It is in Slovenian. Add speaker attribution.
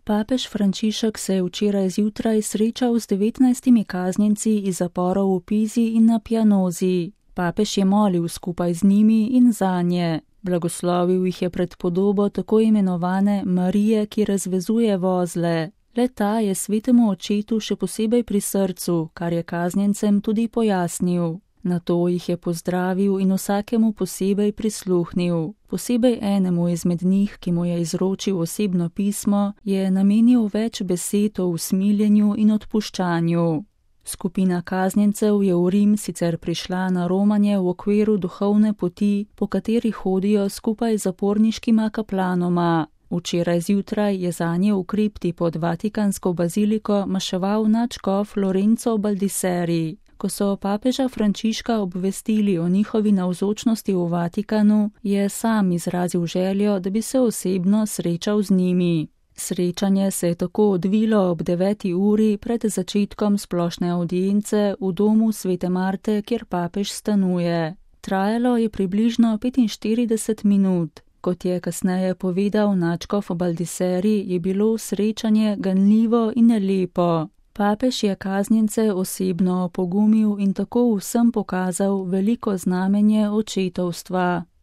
Speaker 1: Papež Frančišek se je včeraj zjutraj srečal z 19 kaznjenci iz zaporov v Pizi in na Pianozi. Papež je molil skupaj z njimi in zanje. Blagoslovil jih je pred podobo tako imenovane Marije, ki razvezuje vozle. Le-ta je svetemu očetu še posebej pri srcu, kar je kaznjencem tudi pojasnil. Nato jih je pozdravil in vsakemu posebej prisluhnil. Posebej enemu izmed njih, ki mu je izročil osebno pismo, je namenil več besed o usmiljenju in odpuščanju. Skupina kaznjencev je v Rim sicer prišla na romanje v okviru duhovne poti, po kateri hodijo skupaj z zaporniškima kaplanoma. Včeraj zjutraj je zanje v kripti pod Vatikansko baziliko maševal nadškof Lorenzo Baldisseri. Ko so papeža Frančiška obvestili o njihovi navzočnosti v Vatikanu, je sam izrazil željo, da bi se osebno srečal z njimi. Srečanje se je tako odvilo ob 9. uri pred začetkom splošne avdience v domu Svete Marte, kjer papež stanuje. Trajalo je približno 45 minut. Kot je kasneje povedal nadškof Baldisseri, je bilo srečanje ganljivo in lepo. Papež je kaznjence osebno opogumil in tako vsem pokazal veliko znamenje očetovstva.